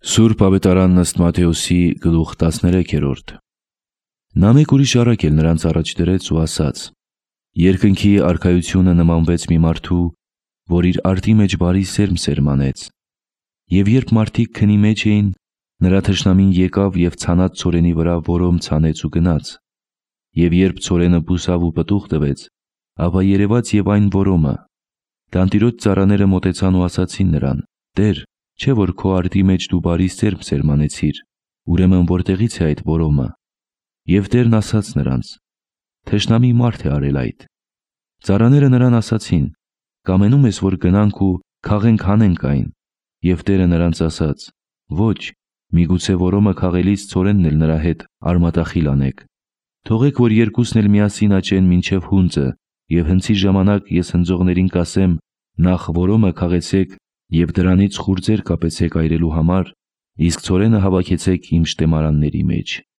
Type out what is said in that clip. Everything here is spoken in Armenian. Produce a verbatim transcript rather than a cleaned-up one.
Սուրբ Ավետարանն ըստ Մատթեոսի գլուխ տասներեքերորդ։ Նա մեկ ուրիշ առակ էլ նրանց առաջ դրեց ու ասաց. երկնքի արքայությունը նմանվեց մի մարդու, որ իր արտի մեջ բարի սերմ սերմանեց։ Եվ երբ մարդիկ քնի մեջ էին, նրա թշնամին եկավ և ցանած ցորենի վրա որոմ ցանեց ու գնաց։ Եվ երբ ցորենը բուսավ ու պտուղ տվեց, ապա երևաց և այն որոմը։ Տանտիրոջ ծառաները մոտեցան ու ասացին նրան. «Տեր, չէ՞ որ քո արտի մեջ դու բարի սերմ սերմանեցիր, ուրեմն որտեղի՞ց է այդ որոմը»։ Եվ Տերն ասաց նրանց. «Թշնամի մարդ է արել այդ»։ Ծառաները նրան ասացին. «Կամենում ես, որ գնանք ու քաղենք հանենք այն»։ Եվ Տերը նրանց ասաց. «Ոչ, միգուցե որոմը քաղելիս ցորենն էլ նրա հետ արմատախիլ անեք։ Թողեք, որ երկուսն էլ միասին աճեն մինչև հունձը, և հնձի ժամանակ ես հնձողներին կասեմ. նախ որոմը քաղեցեք և դրանից խուրձեր կապեցեք այրելու համար, իսկ ցորենը հավաքեցեք իմ շտեմարանների մեջ»։